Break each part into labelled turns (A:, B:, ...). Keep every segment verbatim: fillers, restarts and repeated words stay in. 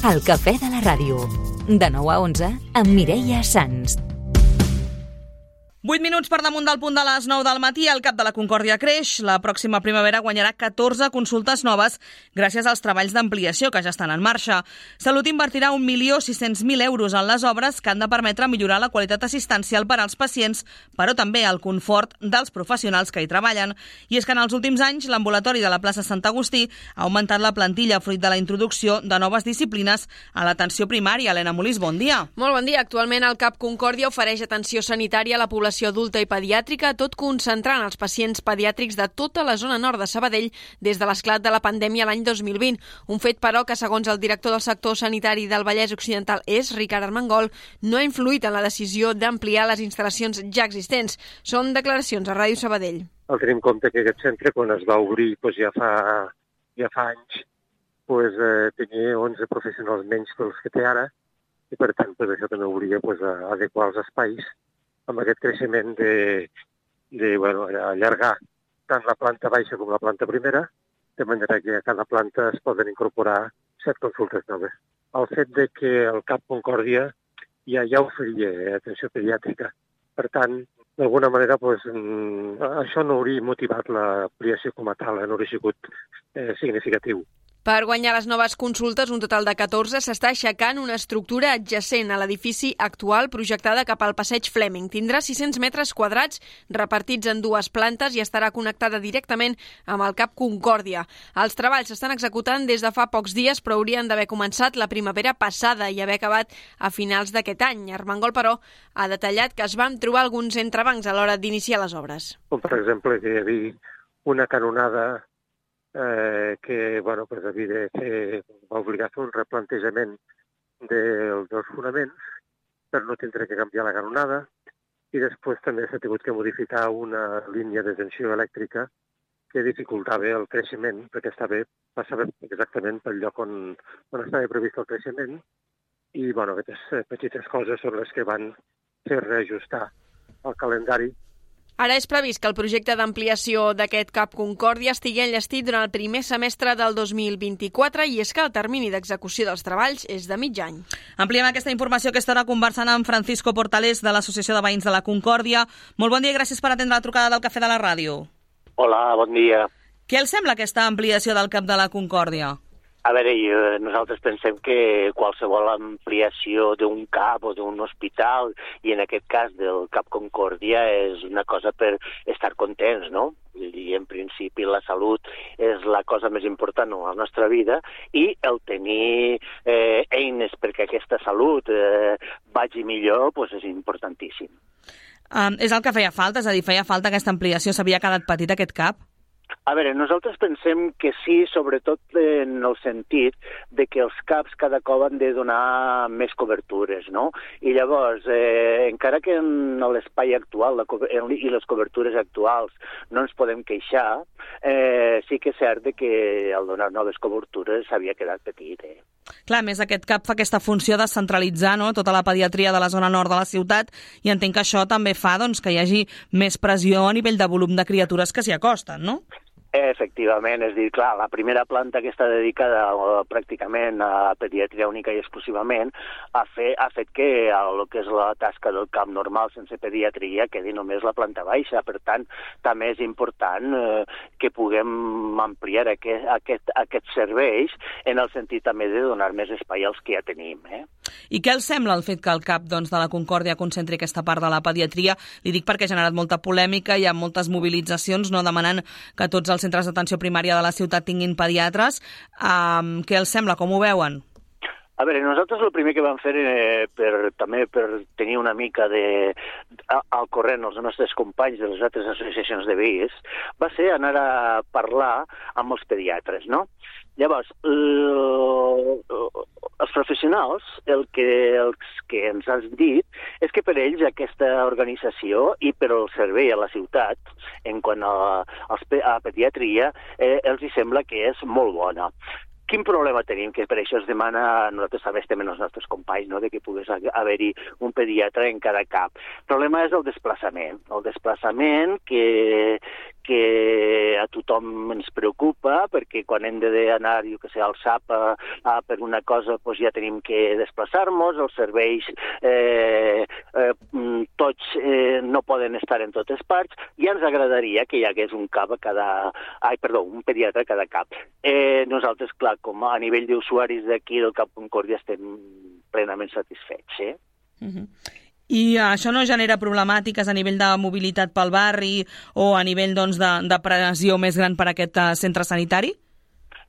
A: El cafè de la ràdio. De nou a onze, amb Mireia Sans.
B: vuit minuts per damunt del punt de les nou del matí, el Cap de la Concòrdia creix. La pròxima primavera guanyarà catorze consultes noves gràcies als treballs d'ampliació que ja estan en marxa. Salut invertirà un milió sis-cents mil euros en les obres que han de permetre millorar la qualitat assistencial per als pacients, però també el confort dels professionals que hi treballen. I és que en els últims anys l'ambulatori de la plaça Sant Agustí ha augmentat la plantilla fruit de la introducció de noves disciplines a l'atenció primària. Helena Molís, bon dia.
C: Molt bon dia. Actualment el Cap Concòrdia ofereix atenció sanitària a la població adulta i pediàtrica, tot concentrant els pacients pediàtrics de tota la zona nord de Sabadell des de l'esclat de la pandèmia l'any dos mil vint. Un fet, però, que segons el director del sector sanitari del Vallès Occidental és, Ricard Armengol, no ha influït en la decisió d'ampliar les instal·lacions ja existents. Són declaracions a Ràdio Sabadell.
D: El tenim en compte que aquest centre, quan es va obrir doncs ja, fa, ja fa anys, doncs, eh, tenia onze professionals menys que els que té ara, i per tant doncs, això també obliga doncs, a adequar els espais amb aquest creixement de, de bueno, allargar tant la planta baixa com la planta primera, de manera que a cada planta es poden incorporar set consultes noves. El fet de que el Cap Concòrdia ja, ja oferia atenció pediàtrica, per tant, d'alguna manera, doncs, això no hauria motivat l'ampliació com a tal, no hauria sigut eh, significatiu.
C: Per guanyar les noves consultes, un total de catorze, s'està aixecant una estructura adjacent a l'edifici actual projectada cap al passeig Fleming. Tindrà sis-cents metres quadrats repartits en dues plantes i estarà connectada directament amb el Cap Concòrdia. Els treballs s'estan executant des de fa pocs dies, però haurien d'haver començat la primavera passada i haver acabat a finals d'aquest any. Armengol, però, ha detallat que es van trobar alguns entrebancs a l'hora d'iniciar les obres.
D: Com, per exemple, que hi havia una canonada Eh, que bueno, pues, havia de fer, va obligar a fer un replantejament de, dels fonaments per no tindre que canviar la canonada, i després també s'ha tingut que modificar una línia de tensió elèctrica que dificultava el creixement, perquè estava, passava exactament pel lloc on, on estava previst el creixement, i bueno, aquestes petites coses són les que van fer reajustar el calendari.
C: Ara és previst que el projecte d'ampliació d'aquest Cap Concòrdia estigui enllestit durant el primer semestre del dos mil vint-i-quatre, i és que el termini d'execució dels treballs és de mig any.
B: Ampliem aquesta informació que estarà conversant amb Francisco Portalés de l'Associació de Veïns de la Concòrdia. Molt bon dia i gràcies per atendre la trucada del Cafè de la Ràdio.
E: Hola, bon dia.
B: Què els sembla aquesta ampliació del Cap de la Concòrdia?
E: A veure, nosaltres pensem que qualsevol ampliació d'un cap o d'un hospital, i en aquest cas del Cap Concòrdia, és una cosa per estar contents, no? I en principi la salut és la cosa més important a la nostra vida, i el tenir eh, eines perquè aquesta salut eh, vagi millor doncs és importantíssim.
B: Um, és el que feia falta? És a dir, feia falta aquesta ampliació? S'havia quedat petit aquest cap?
E: A veure, nosaltres pensem que sí, sobretot en el sentit de que els caps cada cop han de donar més cobertures, no? I llavors, eh, encara que en l'espai actual la, i les cobertures actuals no ens podem queixar, eh, sí que és cert que al donar noves cobertures s'havia quedat petit, eh?
B: Clar, a més, aquest cap fa aquesta funció de centralitzar, no?, tota la pediatria de la zona nord de la ciutat, i entenc que això també fa doncs, que hi hagi més pressió a nivell de volum de criatures que s'hi acosten, no?
E: Efectivament, és a dir, clar, la primera planta que està dedicada uh, pràcticament a pediatria única i exclusivament ha, fe, ha fet que el que és la tasca del camp normal sense pediatria quedi només la planta baixa. Per tant, també és important uh, que puguem ampliar aquest, aquest, aquests serveis en el sentit també de donar més espai als que ja tenim. Eh?
B: I què els sembla el fet que el cap doncs, de la Concòrdia concentri aquesta part de la pediatria? Li dic perquè ha generat molta polèmica, hi ha moltes mobilitzacions, no, demanant que tots els centres d'atenció primària de la ciutat tinguin pediatres. Um, què els sembla? Com ho veuen?
E: A veure, nosaltres el primer que vam fer eh, per, també per tenir una mica de, al corrent els nostres companys de les altres associacions de veïns va ser anar a parlar amb els pediatres, no? Llavors, els professionals, el que, els que ens has dit, és que per ells aquesta organització i per el servei a la ciutat, en quant a, a pediatria, eh, els hi sembla que és molt bona. Quin problema tenim? Que per això es demana, nosaltres també estem en els nostres companys, no?, de que pogués haver-hi un pediatre en cada cap. El problema és el desplaçament. El desplaçament que, que a tothom ens preocupa, perquè quan hem d'anar, jo que sé, al S A P a, a, per una cosa, doncs ja tenim que desplaçar-nos, els serveis eh, eh, tots eh, no poden estar en totes parts, i ens agradaria que hi hagués un cap a cada... Ai, perdó, un pediatre a cada cap. Eh, nosaltres, clar, com a nivell d'usuaris d'aquí del Cap Concòrdia estem plenament satisfets, eh?
B: Uh-huh. I això no genera problemàtiques a nivell de mobilitat pel barri o a nivell doncs, de, de pressió més gran per a aquest uh, centre sanitari?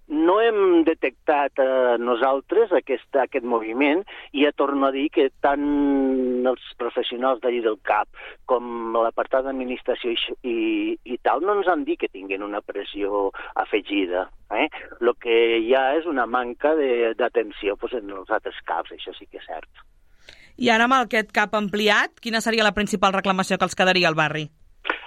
E: No hem detectat eh, nosaltres aquest, aquest moviment, i ja torno a dir que tant els professionals d'allí del C A P com l'apartat d'administració i, i, i tal no ens han dit que tinguin una pressió afegida. Eh? El que hi ha és una manca d'atenció pues, en els altres C A Ps, això sí que és cert.
B: I ara amb aquest C A P ampliat, quina seria la principal reclamació que els quedaria al barri?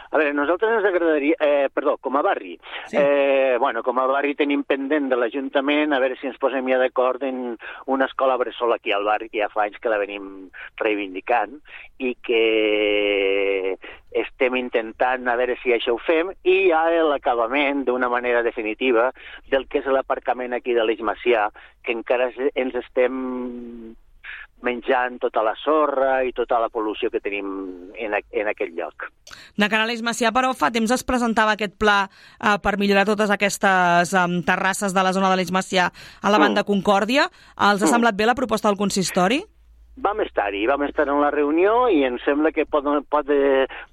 E: A veure, nosaltres ens agradaria... Eh, perdó, com a barri. Sí. Eh, bueno, com a barri tenim pendent de l'Ajuntament a veure si ens posem ja d'acord en una escola bressol aquí al barri, que ja fa anys que la venim reivindicant, i que estem intentant a veure si això ho fem, i ja l'acabament d'una manera definitiva del que és l'aparcament aquí de l'Eix Macià, que encara ens estem menjant tota la sorra i tota la pol·lució que tenim en, a, en aquell lloc.
B: De cara a l'Eix Macià, però, fa temps es presentava aquest pla eh, per millorar totes aquestes um, terrasses de la zona de l'Eix Macià a la banda mm. Concòrdia. Els ha mm. semblat bé la proposta del consistori?
E: Vam estar-hi, vam estar en la reunió i em sembla que pot, pot,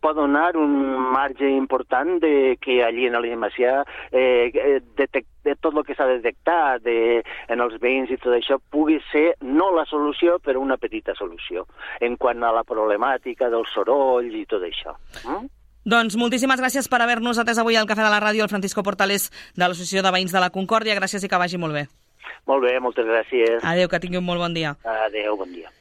E: pot donar un marge important de que allí en l'Eix Macià eh, detect, de tot el que s'ha detectat de, en els veïns i tot això pugui ser no la solució, però una petita solució en quant a la problemàtica del soroll i tot això. Mm?
B: Doncs moltíssimes gràcies per haver-nos atès avui al Cafè de la Ràdio, el Francisco Portales de l'Associació de Veïns de la Concòrdia. Gràcies i que vagi molt bé.
E: Molt bé, moltes gràcies.
B: Adéu, que tingui un molt bon dia.
E: Adéu, bon dia.